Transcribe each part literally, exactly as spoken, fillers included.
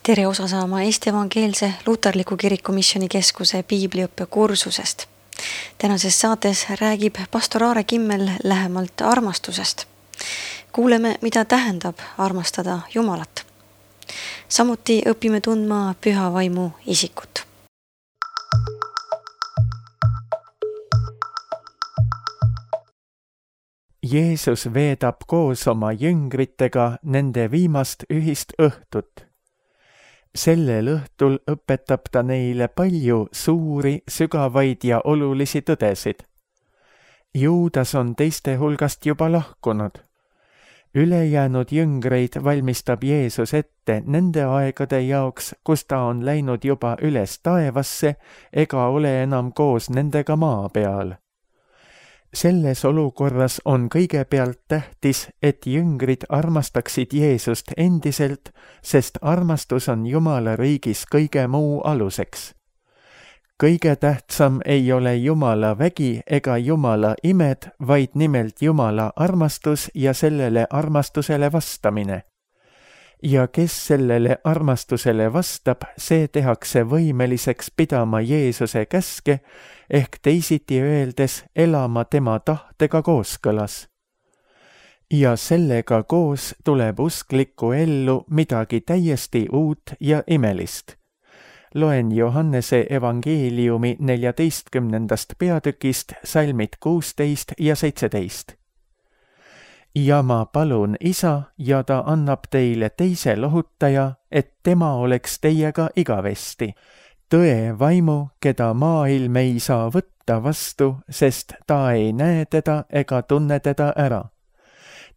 Tere osa saama Eesti Evangeelse Luterliku Kiriku Missionikeskuse piibliõppe kursusest. Tänases saates räägib pastor Aare Kimmel lähemalt armastusest. Kuuleme, mida tähendab armastada Jumalat. Samuti õpime tundma püha vaimu isikut. Jeesus veedab koos oma jüngritega nende viimast ühist õhtut. Sellel õhtul õpetab ta neile palju suuri, sügavaid ja olulisi tõdesid. Juudas on teiste hulgast juba lahkunud. Ülejäänud jüngreid valmistab Jeesus ette nende aegade jaoks, kus ta on läinud juba üles taevasse ega ole enam koos nendega maa peal. Selles olukorras on kõigepealt tähtis, et jüngrid armastaksid Jeesust endiselt, sest armastus on Jumala riigis kõige muu aluseks. Kõige tähtsam ei ole Jumala vägi ega Jumala imed, vaid nimelt Jumala armastus ja sellele armastusele vastamine. Ja kes sellele armastusele vastab, see tehakse võimeliseks pidama Jeesuse käske, ehk teisiti öeldes elama tema tahtega kooskõlas. Ja sellega koos tuleb usklikku ellu midagi täiesti uut ja imelist. Loen Johannese evangeeliumi neljateistkümnendast peatükist salmid kuusteist ja seitseteist. Ja ma palun Isa, ja ta annab teile teise lohutaja, et tema oleks teiega igavesti. Tõe vaimu, keda maailm ei saa võtta vastu, sest ta ei näe teda ega tunne teda ära.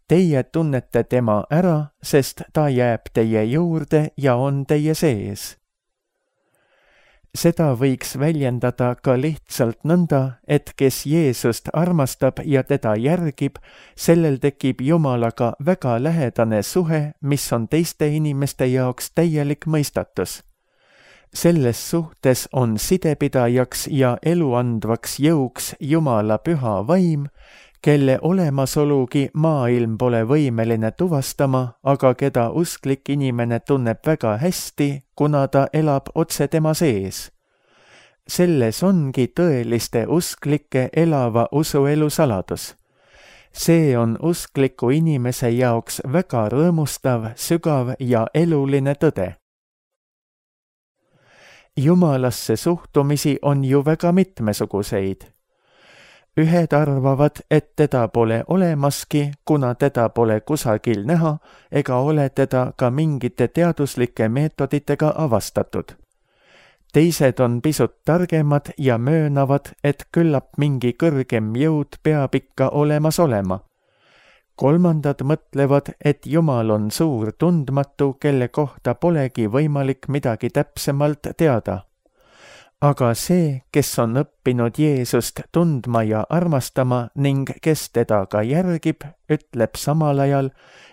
Teie tunnete tema ära, sest ta jääb teie juurde ja on teie sees. Seda võiks väljendada ka lihtsalt nõnda, et kes Jeesust armastab ja teda järgib, sellel tekib Jumalaga väga lähedane suhe, mis on teiste inimeste jaoks täielik mõistatus. Selles suhtes on sidepidajaks ja eluandvaks jõuks Jumala püha vaim, kelle olemasolugi maailm pole võimeline tuvastama, aga keda usklik inimene tunneb väga hästi, kuna ta elab otse tema sees. Selles ongi tõeliste usklike elava usuelu saladus. See on uskliku inimese jaoks väga rõõmustav, sügav ja eluline tõde. Jumalasse suhtumisi on ju väga mitmesuguseid. Ühed arvavad, et teda pole olemaski, kuna teda pole kusagil näha ega ole teda ka mingite teaduslike meetoditega avastatud. Teised on pisut targemad ja möönavad, et küllap mingi kõrgem jõud peab ikka olemas olema. Kolmandad mõtlevad, et Jumal on suur tundmatu, kelle kohta polegi võimalik midagi täpsemalt teada. Aga see, kes on õppinud Jeesust tundma ja armastama ning kes teda ka järgib, ütleb samal ajal,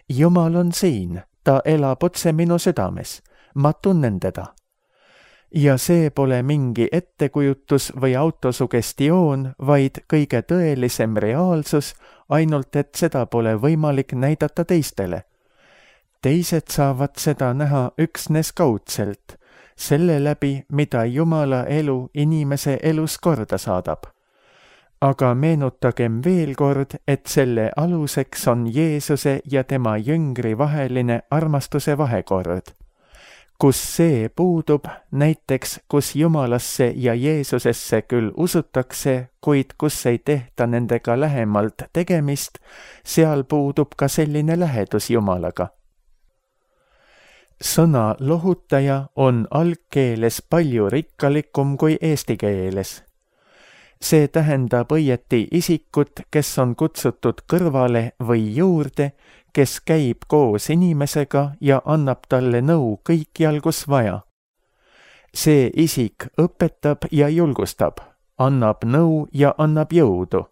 Jumal on siin, ta elab otse minu südames, ma tunnen teda. Ja see pole mingi ettekujutus või autosugestioon, vaid kõige tõelisem reaalsus, ainult et seda pole võimalik näidata teistele. Teised saavad seda näha üksnes kaudselt, selle läbi, mida Jumala elu inimese elus korda saadab. Aga meenutagem veel kord, et selle aluseks on Jeesuse ja tema jüngri vaheline armastuse vahekord. Kus see puudub, näiteks kus Jumalasse ja Jeesusesse küll usutakse, kuid kus ei tehta nendega lähemalt tegemist, seal puudub ka selline lähedus Jumalaga. Sõna lohutaja on algkeeles palju rikkalikum kui eesti keeles. See tähendab õieti isikut, kes on kutsutud kõrvale või juurde, kes käib koos inimesega ja annab talle nõu kõikjal, kus vaja. See isik õpetab ja julgustab, annab nõu ja annab jõudu.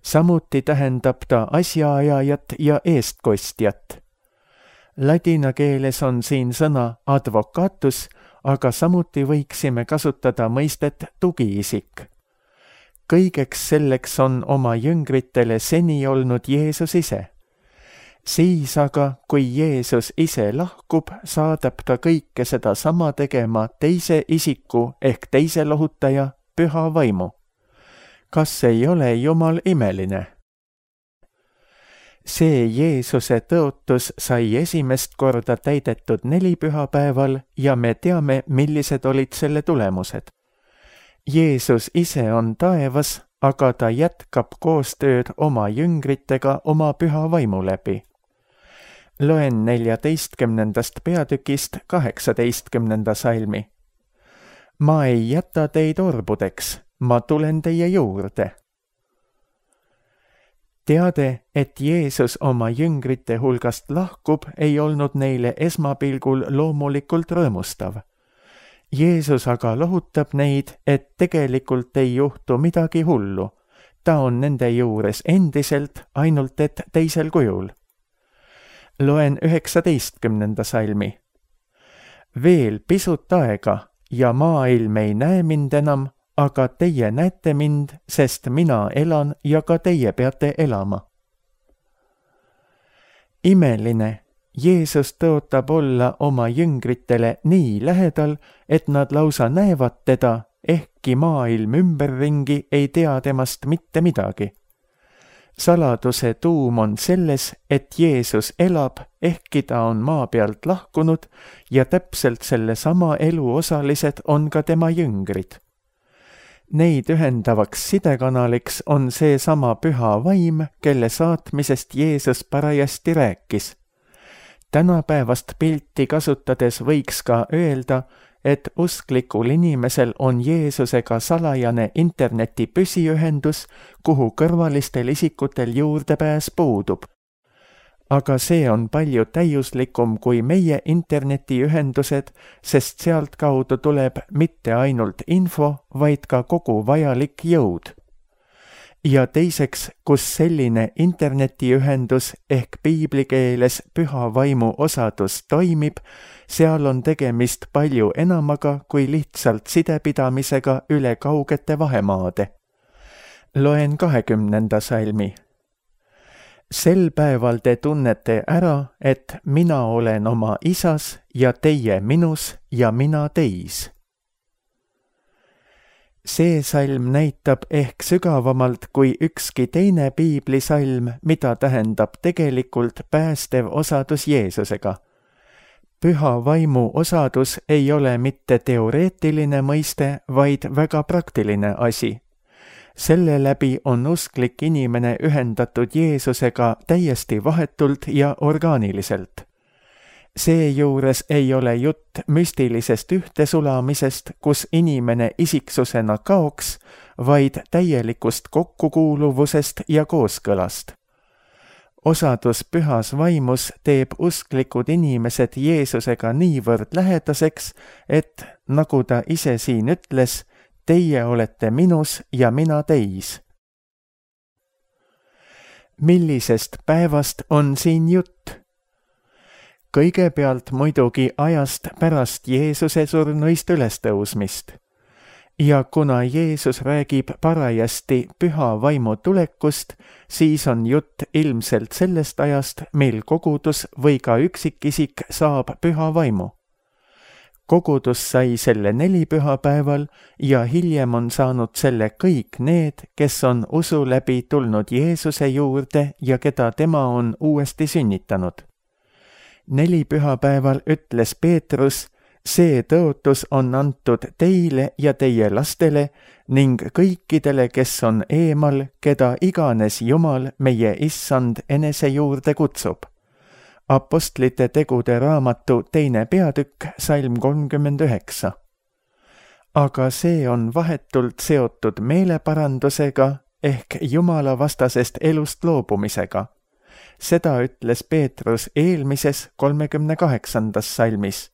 Samuti tähendab ta asjaajajat ja eestkostjat. Ladina keeles on siin sõna advocatus, aga samuti võiksime kasutada mõistet tugiisik. Kõigeks selleks on oma jüngritele seni olnud Jeesus ise. Siis aga, kui Jeesus ise lahkub, saadab ta kõike seda sama tegema teise isiku ehk teise lohutaja, Püha Vaimu. Kas ei ole Jumal imeline? See Jeesuse tõotus sai esimest korda täidetud nelipühapäeval ja me teame, millised olid selle tulemused. Jeesus ise on taevas, aga ta jätkab koostööd oma jüngritega oma Püha Vaimu läbi. Loen neljateistkümnendast peatükist kaheksateistkümnenda salmi. Ma ei jäta teid orbudeks, ma tulen teie juurde. Teade, et Jeesus oma jüngrite hulgast lahkub, ei olnud neile esmapilgul loomulikult rõõmustav. Jeesus aga lohutab neid, et tegelikult ei juhtu midagi hullu. Ta on nende juures endiselt, ainult et teisel kujul. Loen üheksateistkümnenda salmi. Veel pisut aega ja maailm ei näe mind enam, aga teie näete mind, sest mina elan ja ka teie peate elama. Imeline, Jeesus tõotab olla oma jüngritele nii lähedal, et nad lausa näevad teda, ehkki maailm ümberringi ei tea temast mitte midagi. Saladuse tuum on selles, et Jeesus elab, ehkki ta on maa pealt lahkunud ja täpselt selle sama elu osalised on ka tema jüngrid. Neid ühendavaks sidekanaliks on see sama Püha Vaim, kelle saatmisest Jeesus parajasti rääkis. Tänapäevast pilti kasutades võiks ka öelda, et usklikul inimesel on Jeesusega salajane interneti püsiühendus, kuhu kõrvalistel isikutel juurdepääs puudub. Aga see on palju täiuslikum kui meie internetiühendused, sest sealt kaudu tuleb mitte ainult info, vaid ka kogu vajalik jõud. Ja teiseks, kus selline internetiühendus ehk piiblikeeles Püha Vaimu osadus toimib, seal on tegemist palju enamaga kui lihtsalt sidepidamisega üle kaugete vahemaade. Loen kahekümnenda salmi. Sel päeval te tunnete ära, et mina olen oma isas ja teie minus ja mina teis. See salm näitab ehk sügavamalt kui ükski teine piiblisalm, mida tähendab tegelikult päästev osadus Jeesusega. Püha Vaimu osadus ei ole mitte teoreetiline mõiste, vaid väga praktiline asi. Selle läbi on usklik inimene ühendatud Jeesusega täiesti vahetult ja orgaaniliselt. Seejuures ei ole jutt müstilisest ühtesulamisest, kus inimene isiksusena kaoks, vaid täielikust kokkukuuluvusest ja kooskõlast. Osadus Pühas Vaimus teeb usklikud inimesed Jeesusega niivõrd lähedaseks, et, nagu ta ise siin ütles, teie olete minus ja mina teis. Millisest päevast on siin jutt? Kõigepealt muidugi ajast pärast Jeesuse surnuist ülestõusmist. Ja kuna Jeesus räägib parajasti Püha Vaimu tulekust, siis on jutt ilmselt sellest ajast, mil kogudus või ka üksikisik saab Püha Vaimu. Kogudus sai selle nelipühapäeval ja hiljem on saanud selle kõik need, kes on usu läbi tulnud Jeesuse juurde ja keda tema on uuesti sünnitanud. Nelipühapäeval ütles Peetrus, see tõotus on antud teile ja teie lastele ning kõikidele, kes on eemal, keda iganes Jumal, meie Issand, enese juurde kutsub. Apostlite tegude raamatu teine peatükk, salm kolmkümmend üheksa. Aga see on vahetult seotud meeleparandusega ehk Jumala vastasest elust loobumisega. Seda ütles Peetrus eelmises kolmekümne kaheksandas salmis.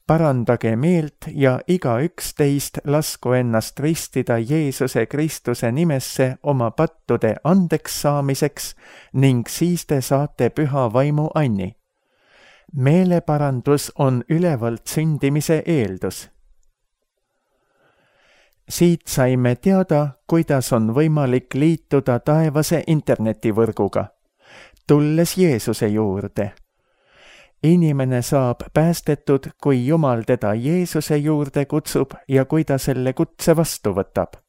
Parandage meelt ja igaüks teist lasku ennast ristida Jeesuse Kristuse nimesse oma pattude andeks saamiseks ning siis te saate Püha Vaimu anni. Meeleparandus on ülevalt sündimise eeldus. Siit saime teada, kuidas on võimalik liituda taevase internetivõrguga. tulles Jeesuse juurde. Inimene saab päästetud, kui Jumal teda Jeesuse juurde kutsub ja kui ta selle kutse vastu võtab.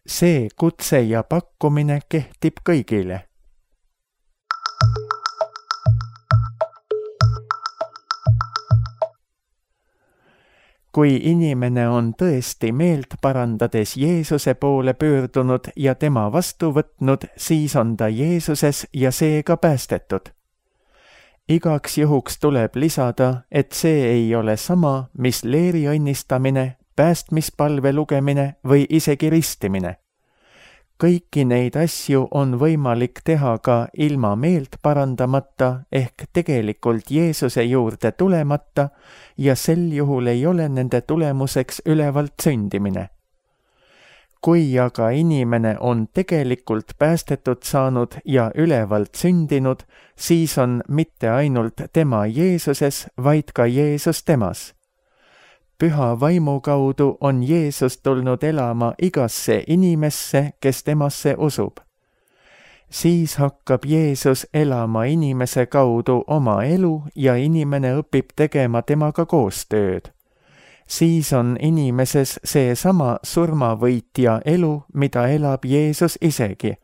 See kutse ja pakkumine kehtib kõigile. Kui inimene on tõesti meelt parandades Jeesuse poole pöördunud ja tema vastu võtnud, siis on ta Jeesuses ja seega päästetud. Igaks juhuks tuleb lisada, et see ei ole sama, mis leeri õnnistamine, päästmispalve lugemine või isegi ristimine. Kõiki neid asju on võimalik teha ka ilma meelt parandamata ehk tegelikult Jeesuse juurde tulemata ja sel juhul ei ole nende tulemuseks ülevalt sündimine. Kui aga inimene on tegelikult päästetud saanud ja ülevalt sündinud, siis on mitte ainult tema Jeesuses, vaid ka Jeesus temas. Püha vaimu kaudu on Jeesus tulnud elama igasse inimesse, kes temasse usub. Siis hakkab Jeesus elama inimese kaudu oma elu ja inimene õpib tegema temaga koostööd. Siis on inimeses seesama surmavõitja elu, mida elab Jeesus isegi.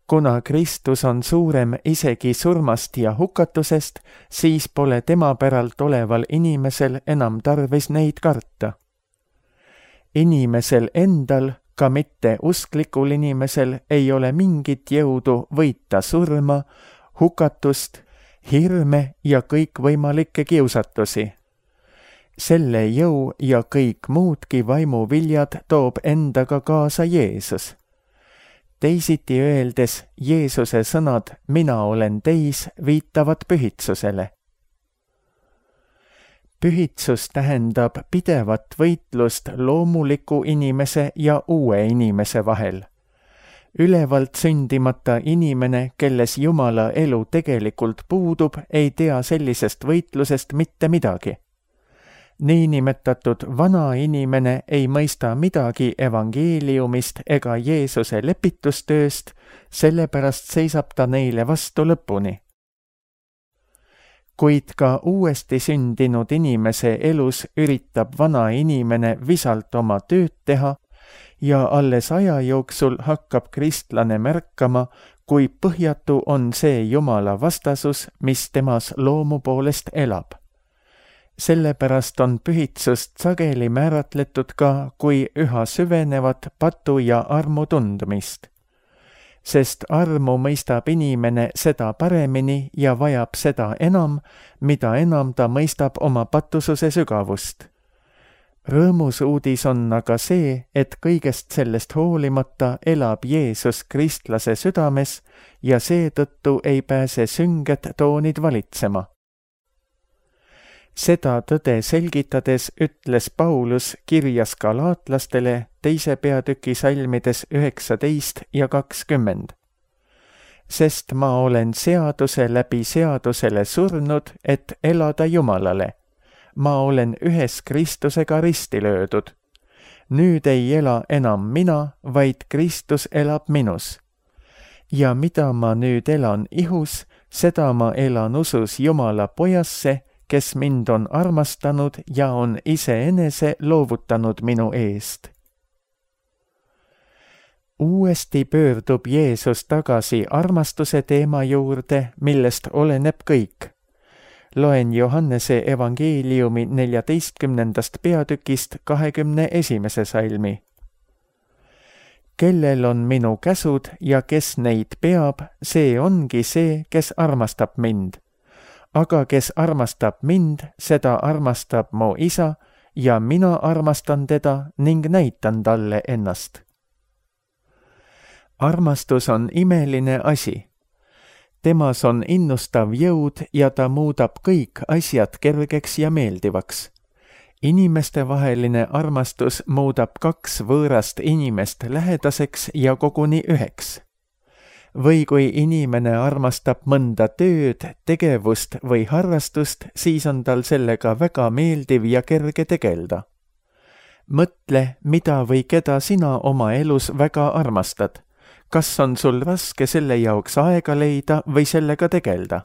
Kuna Kristus on suurem isegi surmast ja hukatusest, siis pole tema päralt oleval inimesel enam tarvis neid karta. Inimesel endal, ka mitte usklikul inimesel, ei ole mingit jõudu võita surma, hukatust, hirme ja kõikvõimalikke kiusatusi. Selle jõu ja kõik muudki vaimuviljad toob endaga kaasa Jeesus. Teisiti öeldes, Jeesuse sõnad "mina olen teis" viitavad pühitsusele. Pühitsus tähendab pidevat võitlust loomuliku inimese ja uue inimese vahel. Ülevalt sündimata inimene, kelles Jumala elu tegelikult puudub, ei tea sellisest võitlusest mitte midagi. Niinimetatud vana inimene ei mõista midagi evangeeliumist ega Jeesuse lepitustööst, sellepärast seisab ta neile vastu lõpuni. Kuid ka uuesti sündinud inimese elus üritab vana inimene visalt oma tööd teha ja alles aja jooksul hakkab kristlane märkama, kui põhjatu on see Jumala vastasus, mis temas loomu poolest elab. Sellepärast on pühitsust sageli määratletud ka kui üha süvenevat patu ja armu tundmist. Sest armu mõistab inimene seda paremini ja vajab seda enam, mida enam ta mõistab oma patususe sügavust. Rõõmus uudis on aga see, et kõigest sellest hoolimata elab Jeesus kristlase südames ja seetõttu ei pääse sünged toonid valitsema. Seda tõde selgitades ütles Paulus kirjas galaatlastele teise peatüki salmides üheksateist ja kakskümmend. Sest ma olen seaduse läbi seadusele surnud, et elada Jumalale. Ma olen ühes Kristusega risti löödud. Nüüd ei ela enam mina, vaid Kristus elab minus. Ja mida ma nüüd elan ihus, seda ma elan usus Jumala pojasse, kes mind on armastanud ja on iseenese loovutanud minu eest. Uuesti pöördub Jeesus tagasi armastuse teema juurde, millest oleneb kõik. Loen Johannese evangeeliumi neljateistkümnendast peatükist kahekümne esimese salmi. Kellel on minu käsud ja kes neid peab, see ongi see, kes armastab mind. Aga kes armastab mind, seda armastab mu isa ja mina armastan teda ning näitan talle ennast. Armastus on imeline asi. Temas on innustav jõud ja ta muudab kõik asjad kergeks ja meeldivaks. Inimestevaheline armastus muudab kaks võõrast inimest lähedaseks ja koguni üheks. Või kui inimene armastab mõnda tööd, tegevust või harrastust, siis on tal sellega väga meeldiv ja kerge tegelda. Mõtle, mida või keda sina oma elus väga armastad. kas on sul raske selle jaoks aega leida või sellega tegelda?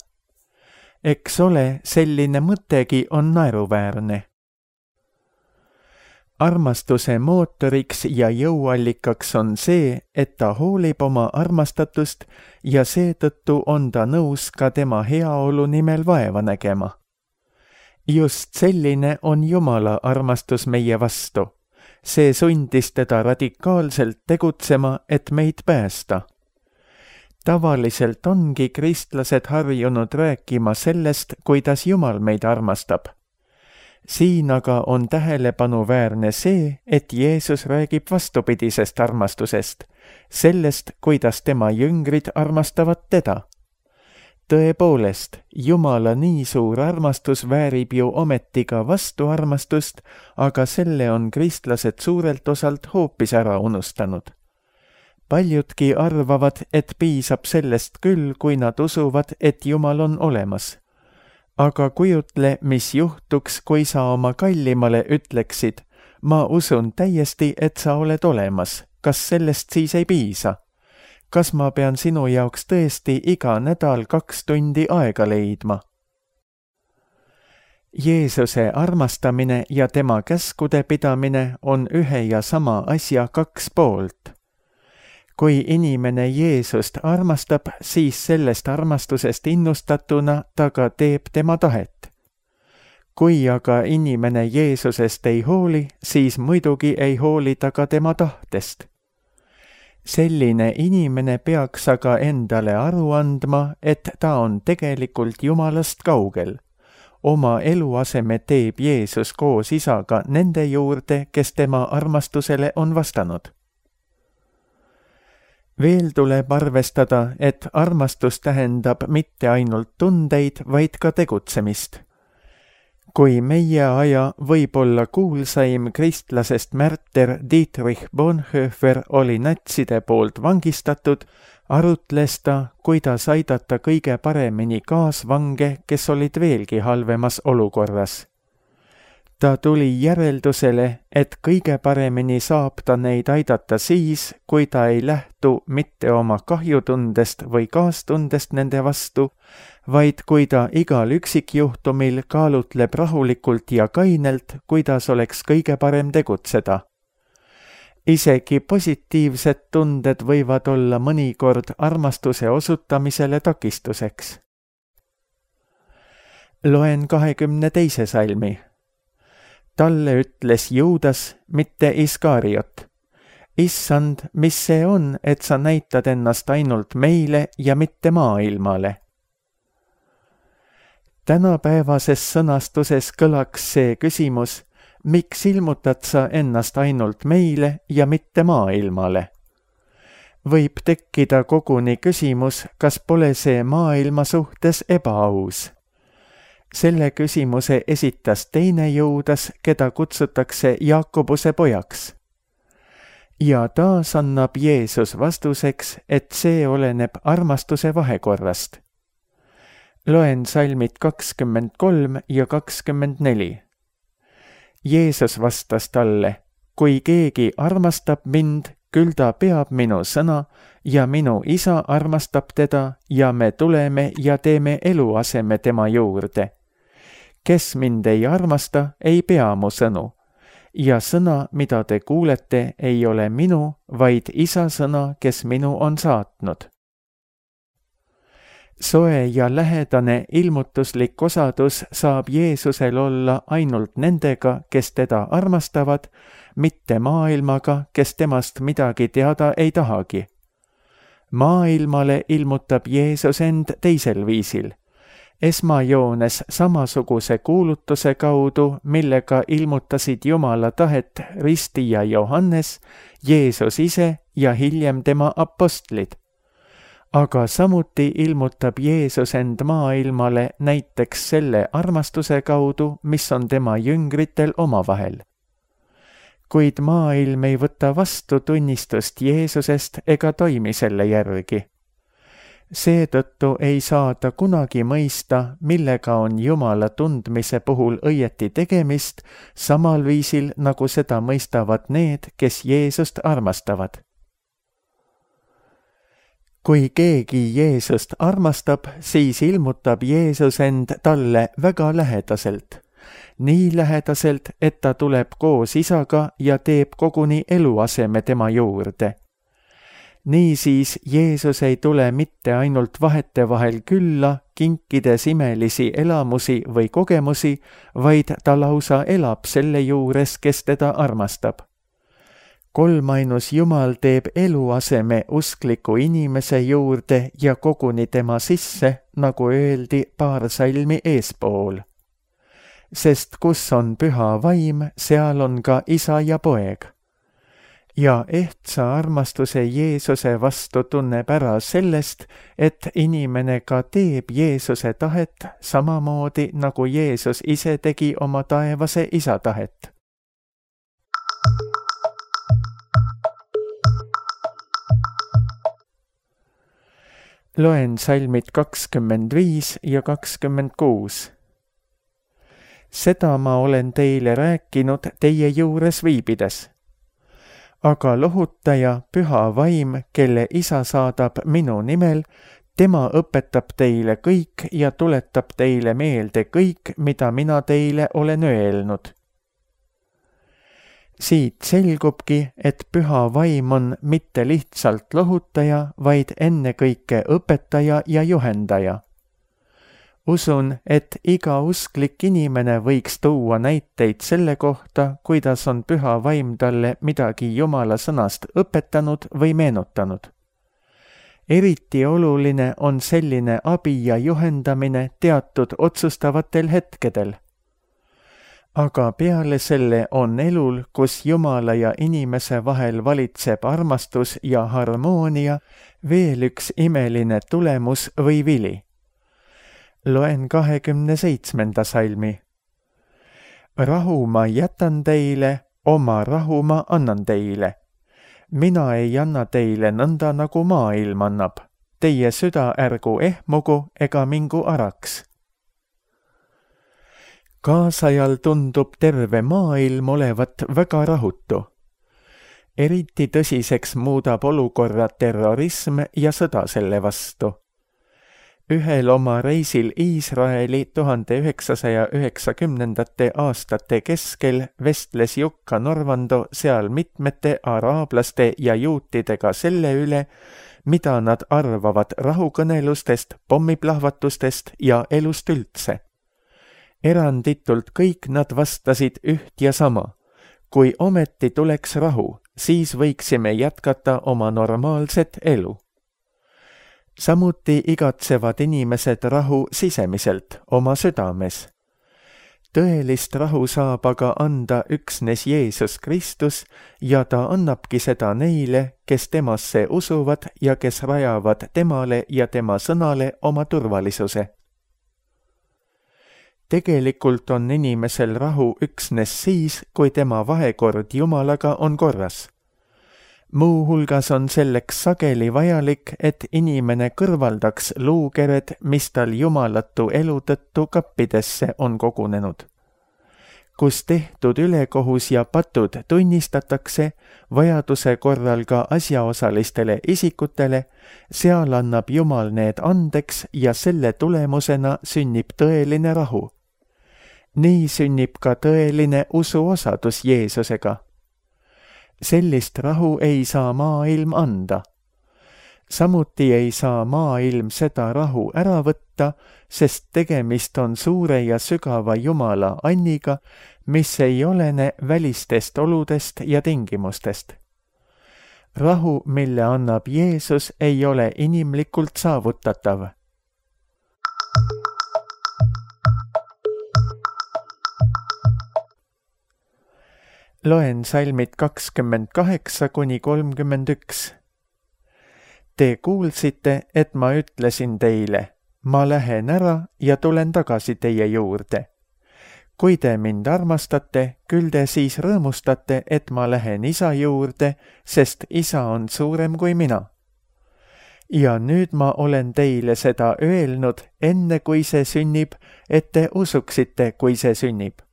Eks ole, selline mõttegi on naeruväärne. Armastuse mootoriks ja jõuallikaks on see, et ta hoolib oma armastatust ja seetõttu on ta nõus ka tema heaolu nimel vaeva nägema. Just selline on Jumala armastus meie vastu. See sundis teda radikaalselt tegutsema, et meid päästa. Tavaliselt ongi kristlased harjunud rääkima sellest, kuidas Jumal meid armastab. Siin aga on tähelepanuväärne see, et Jeesus räägib vastupidisest armastusest, sellest, kuidas tema jüngrid armastavad teda. Tõepoolest, Jumala nii suur armastus väärib ju ometi ka vastuarmastust, aga selle on kristlased suurelt osalt hoopis ära unustanud. Paljudki arvavad, et piisab sellest küll, kui nad usuvad, et Jumal on olemas. Aga kujutle, mis juhtuks, kui sa oma kallimale ütleksid, ma usun täiesti, et sa oled olemas, kas sellest siis ei piisa? Kas ma pean sinu jaoks tõesti iga nädal kaks tundi aega leidma? Jeesuse armastamine ja tema käskude pidamine on ühe ja sama asja kaks poolt. Kui inimene Jeesust armastab, siis sellest armastusest innustatuna ta ka teeb tema tahet. Kui aga inimene Jeesusest ei hooli, siis muidugi ei hooli ta ka tema tahtest. Selline inimene peaks aga endale aru andma, et ta on tegelikult Jumalast kaugel. Oma eluaseme teeb Jeesus koos isaga nende juurde, kes tema armastusele on vastanud. Veel tuleb arvestada, et armastus tähendab mitte ainult tundeid, vaid ka tegutsemist. Kui meie aja võib-olla kuulsaim kristlasest märter Dietrich Bonhoeffer oli natside poolt vangistatud, arutles ta, kuidas aidata kõige paremini kaasvange, kes olid veelgi halvemas olukorras. Ta tuli järeldusele, et kõige paremini saab ta neid aidata siis, kui ta ei lähtu mitte oma kahjutundest või kaastundest nende vastu, vaid kui ta igal üksikjuhtumil kaalutleb rahulikult ja kainelt, kuidas oleks kõige parem tegutseda. Isegi positiivsed tunded võivad olla mõnikord armastuse osutamisele takistuseks. Loen kahekümne teise salmi. Talle ütles Juudas, mitte Iskariot. Issand, mis see on, et sa näitad ennast ainult meile ja mitte maailmale? Tänapäevases sõnastuses kõlaks see küsimus, miks ilmutad sa ennast ainult meile ja mitte maailmale? Võib tekkida koguni küsimus, kas pole see maailma suhtes ebaaus? Selle küsimuse esitas teine Juudas, keda kutsutakse Jaakobuse pojaks. Ja taas annab Jeesus vastuseks, et see oleneb armastuse vahekorrast. Loen salmid kakskümmend kolm ja kakskümmend neli. Jeesus vastas talle, kui keegi armastab mind, küll ta peab minu sõna ja minu isa armastab teda ja me tuleme ja teeme eluaseme tema juurde. Kes mind ei armasta, ei pea mu sõnu. Ja sõna, mida te kuulete, ei ole minu, vaid isa sõna, kes minu on saatnud. Soe ja lähedane ilmutuslik osadus saab Jeesusel olla ainult nendega, kes teda armastavad, mitte maailmaga, kes temast midagi teada ei tahagi. Maailmale ilmutab Jeesus end teisel viisil. Esmajoones samasuguse kuulutuse kaudu, millega ilmutasid Jumala tahet ristija Johannes, Jeesus ise ja hiljem tema apostlid. Aga samuti ilmutab Jeesus end maailmale näiteks selle armastuse kaudu, mis on tema jüngritel omavahel. Kuid maailm ei võta vastu tunnistust Jeesusest ega toimi selle järgi. Seetõttu ei saa ta kunagi mõista, millega on Jumala tundmise puhul õieti tegemist, samal viisil, nagu seda mõistavad need, kes Jeesust armastavad. kui keegi Jeesust armastab, siis ilmutab Jeesus end talle väga lähedaselt. Nii lähedaselt, et ta tuleb koos isaga ja teeb koguni eluaseme tema juurde. Niisiis Jeesus ei tule mitte ainult vahetevahel külla, kinkides imelisi elamusi või kogemusi, vaid ta lausa elab selle juures, kes teda armastab. Kolmainus Jumal teeb eluaseme uskliku inimese juurde ja koguni tema sisse, nagu öeldi paar salmi eespool. Sest kus on püha vaim, seal on ka isa ja poeg. Ja ehtsa armastuse Jeesuse vastu tunneb ära sellest, et inimene ka teeb Jeesuse tahet samamoodi, nagu Jeesus ise tegi oma taevase isa tahet. Loen salmid kakskümmend viis ja kakskümmend kuus. Seda ma olen teile rääkinud teie juures viibides. Aga lohutaja, püha vaim, kelle isa saadab minu nimel, tema õpetab teile kõik ja tuletab teile meelde kõik, mida mina teile olen öelnud. Siit selgubki, et püha vaim on mitte lihtsalt lohutaja, vaid ennekõike õpetaja ja juhendaja. Usun, et iga usklik inimene võiks tuua näiteid selle kohta, kuidas on püha vaim talle midagi Jumala sõnast õpetanud või meenutanud. Eriti oluline on selline abi ja juhendamine teatud otsustavatel hetkedel. Aga peale selle on elul, kus Jumala ja inimese vahel valitseb armastus ja harmoonia, veel üks imeline tulemus või vili. Loen kahekümne seitsmenda salmi. Rahu ma jätan teile, oma rahu ma annan teile. Mina ei anna teile nõnda, nagu maailm annab. Teie süda ärgu ehmugu ega mingu araks. Kaasajal tundub terve maailm olevat väga rahutu. Eriti tõsiseks muudab olukorra terrorism ja sõda selle vastu. Ühel oma reisil Iisraeli tuhande üheksasaja üheksakümnendate aastate keskel vestles Jukka Norvando seal mitmete araablaste ja juutidega selle üle, mida nad arvavad rahukõnelustest, pommiplahvatustest ja elust üldse. Eranditult kõik nad vastasid üht ja sama. Kui ometi tuleks rahu, siis võiksime jätkata oma normaalset elu. Samuti igatsevad inimesed rahu sisemiselt, oma südames. Tõelist rahu saab aga anda üksnes Jeesus Kristus ja ta annabki seda neile, kes temasse usuvad ja kes rajavad temale ja tema sõnale oma turvalisuse. Tegelikult on inimesel rahu üksnes siis, kui tema vahekord Jumalaga on korras. Muu hulgas on selleks sageli vajalik, et inimene kõrvaldaks luukered, mis tal jumalatu elu tõttu kappidesse on kogunenud. Kus tehtud ülekohus ja patud tunnistatakse, vajaduse korral ka asjaosalistele isikutele, seal annab Jumal need andeks ja selle tulemusena sünnib tõeline rahu. Nii sünnib ka tõeline usuosadus Jeesusega. Sellist rahu ei saa maailm anda. Samuti ei saa maailm seda rahu ära võtta, sest tegemist on suure ja sügava Jumala anniga, mis ei olene välistest oludest ja tingimustest. Rahu, mille annab Jeesus, ei ole inimlikult saavutatav. Loen salmid kakskümmend kaheksa kuni kolmkümmend üks. Te kuulsite, et ma ütlesin teile, ma lähen ära ja tulen tagasi teie juurde. Kui te mind armastate, küll te siis rõõmustate, et ma lähen isa juurde, sest isa on suurem kui mina. Ja nüüd ma olen teile seda öelnud, enne kui see sünnib, et te usuksite, kui see sünnib.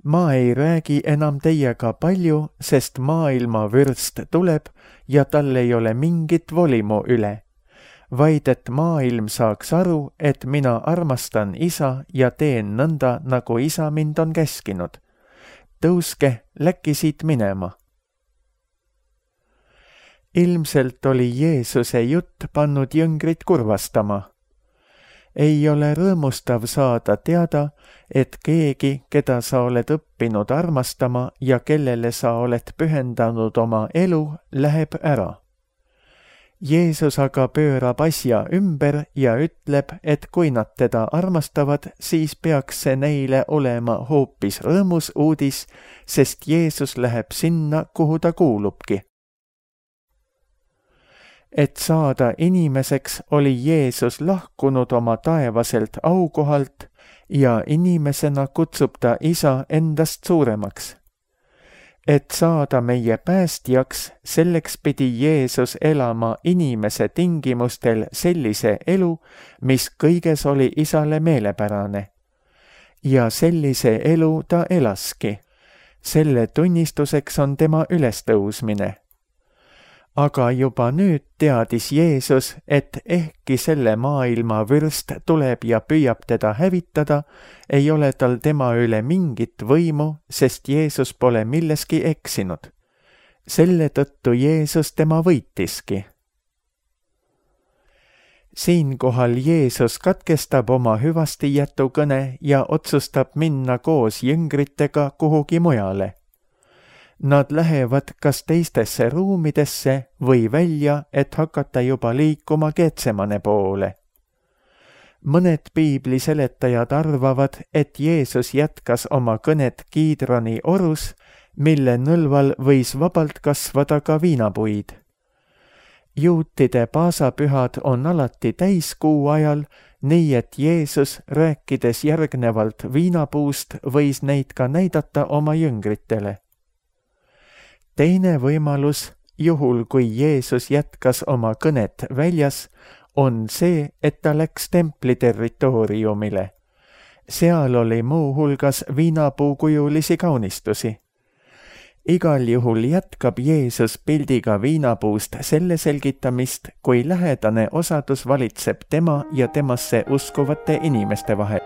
Ma ei räägi enam teiega palju, sest maailma vürst tuleb ja tal ei ole mingit volimu üle, vaid et maailm saaks aru, et mina armastan Isa ja teen nõnda, nagu Isa mind on käskinud. Tõuske, läkki siit minema. Ilmselt oli Jeesuse jutt pannud jüngrid kurvastama. Ei ole rõõmustav saada teada, et keegi, keda sa oled õppinud armastama ja kellele sa oled pühendanud oma elu, läheb ära. Jeesus aga pöörab asja ümber ja ütleb, et kui nad teda armastavad, siis peaks see neile olema hoopis rõõmus uudis, sest Jeesus läheb sinna, kuhu ta kuulubki. Et saada inimeseks, oli Jeesus lahkunud oma taevaselt aukohalt ja inimesena kutsub ta Isa endast suuremaks. Et saada meie päästjaks, selleks pidi Jeesus elama inimese tingimustel sellise elu, mis kõiges oli Isale meelepärane. Ja sellise elu ta elaski. Selle tunnistuseks on tema ülestõusmine. Aga juba nüüd teadis Jeesus, et ehkki selle maailma vürst tuleb ja püüab teda hävitada, ei ole tal tema üle mingit võimu, sest Jeesus pole milleski eksinud. Selle tõttu Jeesus tema võitiski. Siinkohal Jeesus katkestab oma hüvastijätukõne ja otsustab minna koos jüngritega kuhugi mujale. Nad lähevad kas teistesse ruumidesse või välja, et hakata juba liikuma Getsemane poole. Mõned piibli seletajad arvavad, et Jeesus jätkas oma kõnet Kiidroni orus, mille nõlval võis vabalt kasvada ka viinapuid. Juutide paasapühad on alati täiskuu ajal, nii et Jeesus, rääkides järgnevalt viinapuust, võis neid ka näidata oma jüngritele. Teine võimalus, juhul kui Jeesus jätkas oma kõnet väljas, on see, et ta läks templi territooriumile. Seal oli muu hulgas viinapuukujulisi kaunistusi. Igal juhul jätkab Jeesus pildiga viinapuust selle selgitamist, kui lähedane osadus valitseb tema ja temasse uskuvate inimeste vahel.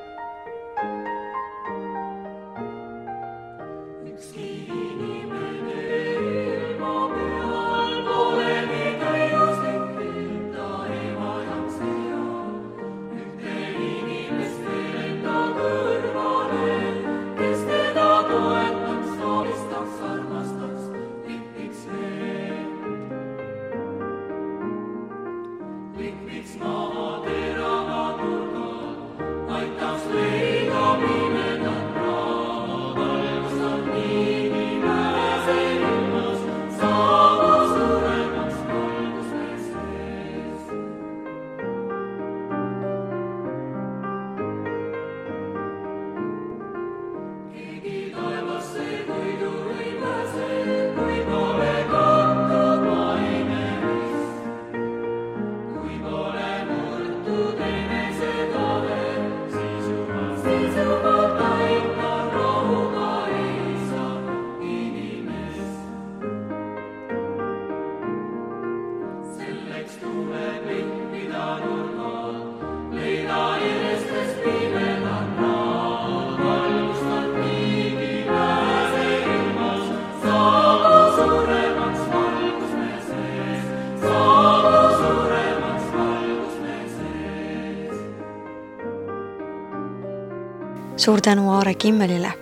Suur tänu Aare Kimmelile.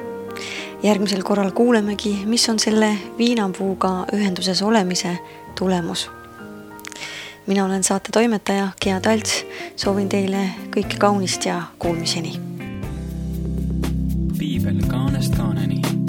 Järgmisel korral kuulemegi, mis on selle viinapuuga ühenduses olemise tulemus. Mina olen saate toimetaja Gea Talts, soovin teile kõike kaunist ja kuulmiseni. Piibel kaanest kaaneni.